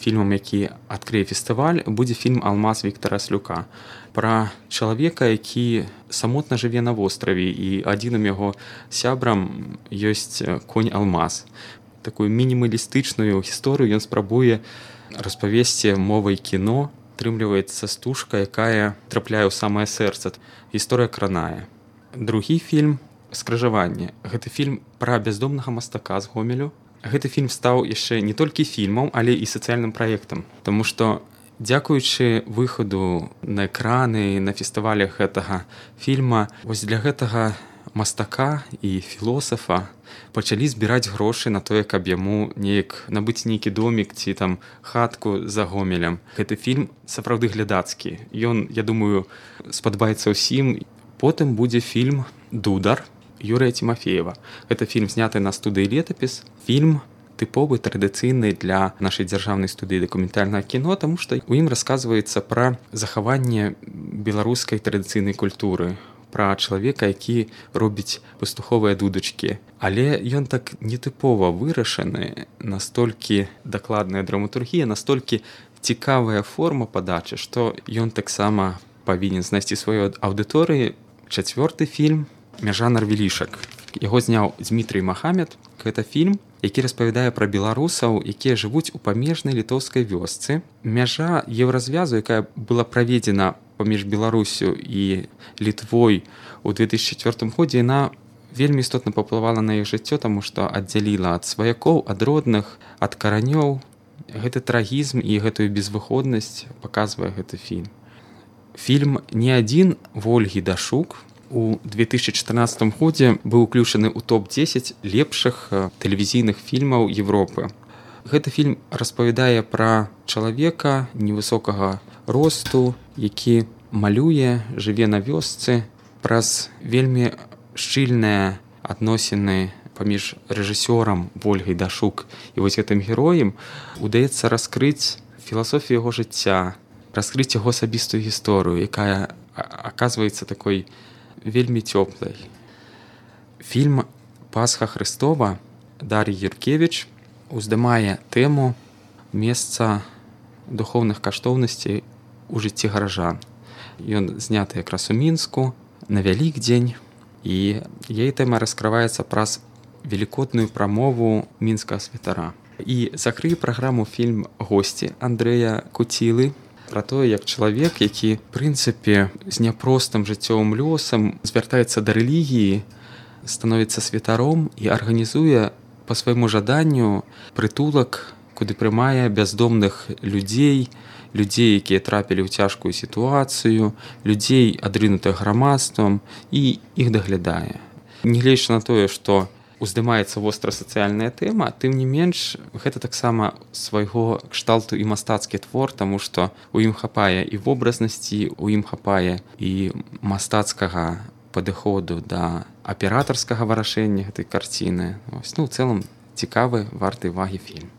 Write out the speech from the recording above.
фільмам, які адкрые фестываль, будзе фільм «Алмаз» Віктара Слюка пра чалавека, які самотна жыве на востраве, і адзіным яго сябрам ёсць конь Алмаз. Такую мінімалістычную гісторыю ён спрабуе распавесці мовай кіно. Атрымліваецца стужка, якая трапляе ў самае сэрца. Гісторыя кранае. Другі фільм «Скрыжаванне». Гэты фільм пра бяздомнага мастака з Гомелю. Гэты фільм стаў яшчэ не толькі фільмам, але і сацыяльным праектам. Таму што дзякуючы выхаду на экраны, на фестывалях гэтага фільма, вось для гэтага мастака і філосафа пачалі збіраць грошы на тое, каб яму неяк набыць нейкі домік ці там хатку за Гомелем. Гэты фільм сапраўды глядацкі. Ён, я думаю, спадабаецца ўсім. Потым будзе фільм «Дудар» Юрыя Тимофеева. Гэта фільм зняты на студыі «Летапіс». Фільм тыповы, традыцыйны для нашай дзяржаўнай студыі дакументальнага кіно, таму што ў ім расказваецца пра захаванне беларускай традыцыйнай культуры, пра чалавека, які робіць пастуховыя дудачкі. Але ён так нетыпова вырашаны, настолькі дакладная драматургія, настолькі цікавая форма падачы, што ён таксама павінен знайсці сваю аўдыторыю. Чацвёрты фільм «Мяжа Нарвелішак». Яго зняў Дмітрый Махамед. Гэта фільм, які распавядае пра беларусаў, якія жывуць у памежнай літоўскай вёсцы. Мяжа еўразвязу, якая была праведзена паміж Беларусю і Літвой у 2004 годзе, яна вельмі істотна паўплывала на іх жыццё, таму што аддзяліла ад сваякоў, ад родных, ад каранёў. Гэты трагізм і гэтую безвыходнасць паказвае гэты фільм. Фільм «Не адзін» Вольгі Дашук у 2014 годзе быў уключаны ў топ-10 лепшых тэлевізійных фільмаў Европы. Гэты фільм распавядае пра чалавека невысокага росту, які малюе, жыве на вёсцы. Праз вельмі шчыльныя адносіны паміж рэжысёрам Вольгай Дашук і вось гэтым героем удаецца раскрыць філасофію яго жыцця, раскрыць яго асабістую гісторыю, якая аказваецца такой вельмі цёплай. Фільм «Пасха Хрыстова» Дар'і Юркевіч уздымае тэму месца духоўных каштоўнасцей у жыцці гаражан. Ён зняты якраз у Мінску на Вялікдзень, і яе тэма раскрываецца праз велікодную прамову мінскага святара. І закрые праграму фільм «Госці» Андрэя Куцілы, пра тое, як чалавек, які, в прынцыпе, з няпростым жыццёвым лёсам звяртаецца да рэлігіі, становіцца святаром і арганізуе па свайму жаданню прытулак, куды прымае бяздомных людзей, якія трапілі ў цяжкую сітуацыю, людзей, адрынутых грамадствам, і іх даглядае. Нягледзячы на тое, што уздымаецца востра сацыяльная тэма, тым не менш, гэта таксама свайго кшталту і мастацкі твор, таму што ў ім хапае і вобразнасці, у ім хапае і мастацкага падыходу да аператарскага вырашэння гэтай карціны. У цэлым цікавы, варты ўвагі фільм.